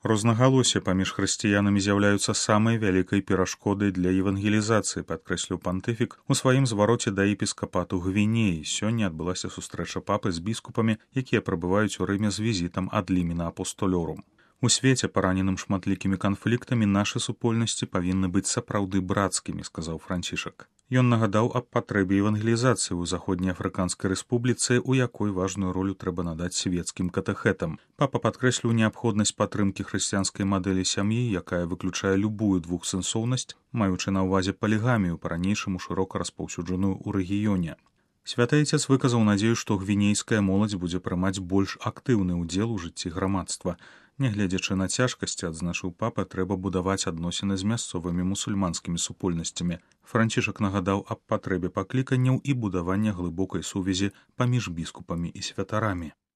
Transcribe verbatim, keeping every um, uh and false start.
Рознагалоссі паміж хрысціянамі з'яўляюцца самай вялікай перашкодай для евангелізацыі, падкрэсліў пантыфік у сваім звароце да епіскапату Гвінеі. Сёння адбылася сустрэча папы з біскупамі, якія прабываюць у Рыме з візітам ад лімена апостолёрум. У свеце, параненым шматлікімі канфліктамі, нашы супольнасці павінны быць сапраўды брацкімі, сказаў Францішак. Ён нагадаў аб патрэбе евангелізацыі ў Заходнеафрыканскай рэспубліцы, у якой важную ролю трэба надаць свецкім катэхетам. Папа падкрэсліў неабходнасць падтрымкі хрысціянскай мадэлі сям'і, якая выключае любую двухсэнсоўнасць, маючы на ўвазе палігамію, па-ранейшаму шырока распаўсюджаную ў рэгіёне. Святы Айцец выказаў надзею, што гвінейская моладзь будзе прымаць больш актыўны ўдзел у жыцці грамадства. Нягледзячы на цяжкасці, адзначыў папа, трэба будаваць адносіны з мясцовымі мусульманскімі супольнасцямі. Францішак нагадаў аб патрэбе пакліканняў і будавання глыбокай сувязі паміж біскупамі і святарамі.